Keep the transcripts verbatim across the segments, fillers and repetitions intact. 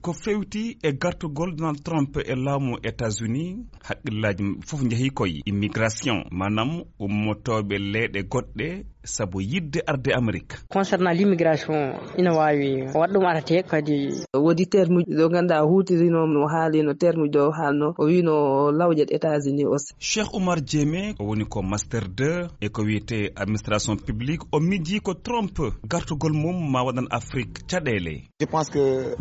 Ko fewti e gartugol Donald Trump e laamu États-Unis, haqqillaaji fof njehi koye immigration, maanaam ummotooɓe leyɗe goɗɗe sabu yiɗde arde Amerik. Concernant l'immigration, ina waawi waɗ ɗum arate kadi. Woodi termuji ɗo ngannduɗaa o huutirino, o haalino termuji ɗo o haalno, o wino lawƴat États-Unis aussi. Cheikh Oumar Diémé, o woni ko master deux e ko wiyetee administration publique, o miji ko Trump gartugol mum ma waɗan Afrik caɗeele. Je pense que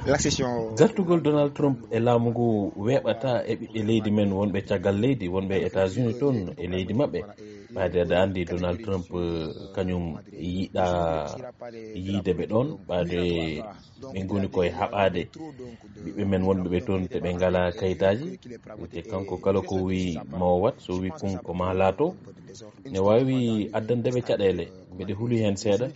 l'accession. Gartugol Donald Trump e laamu ngu weeɓata e ɓiɓɓe leydi men wonɓe caggal leydi, wonɓe États-Unis toon e leydi maɓɓe. Ɓayde aɗa anndi Donald Trump, eh, kañum yiɗa yiide ɓe ɗoon, ɓayde ɓe ngoni koye haɓaade ɓiɓɓe men wonɓe ɓe toon te ɓe ngalaa kayitaaji. Te kanko kala ko wii ma o waɗ, so wii kun ko ma laato, ne waawi addande ɓe caɗeele. Mbeɗe huli heen seeɗa.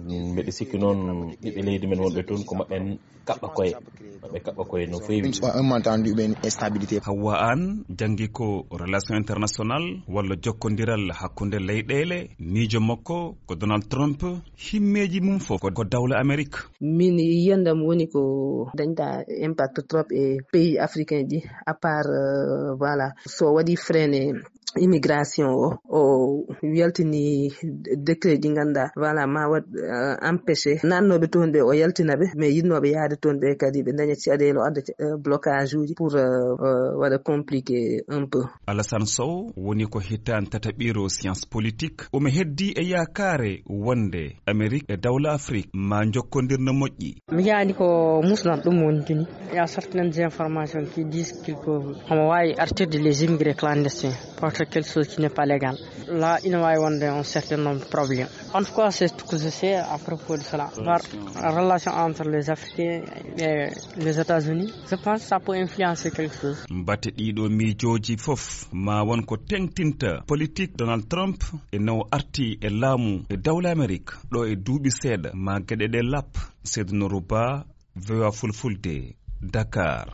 Mbeɗe sikki noon ɓiɓɓe leydi men wonɓe toon ko maɓɓe kaɓɓa koye. Maɓɓe kaɓɓa koye no feewi. Un, un malentendu, une instabilité. Hawwa Aan janngi ko relation international walla jokkondiral hakkunde leyɗeele. Miijo makko ko Donald Trump, himmeeji mum fof ko, ko dawla Amerik. Min yiyandam woni ko dañta impact trop e pays africain ji, à part, euh, voilà, so waɗi freiné immigration o, o yaltini décret ji ngannduɗaa, voilà, ma waɗ, euh, empêché naatnooɓe toon ɓe, o yaltina ɓe, mais yiɗnooɓe yahde toon ɓe kadi ɓe daña caɗeele, o adda, euh, blocage uji pour, euh, euh, waɗa compliqué un peu. Alassane Sow woni ko hitaande tataɓiire science politique. Omo heddi e yaakaare wonde Amerik e dawla Afrik ma njokkondir no moƴƴi. Mi yaani ko musnat ɗum woni tini. Il y a certaines informations qui disent qu'il peut, omo waawi artirde les immigrés clandestins, porter quelque chose qui n'est pas légal. Là, ina waawi wonde un certain nombre de problèmes. En tout cas, c'est tout ce que je sais à propos de cela. Par relation entre les Africains et les États-Unis, je pense que ça peut influencer quelque chose. Mbate ɗiɗo miijooji fof ma won ko teŋtinta politique Donald Trump e no arti e laamu e dawla Amerik ɗo e duuɓi seeɗa ma geɗe ɗe lap. Seydou Nourou Ba, V O A Fulfulde, Dakar.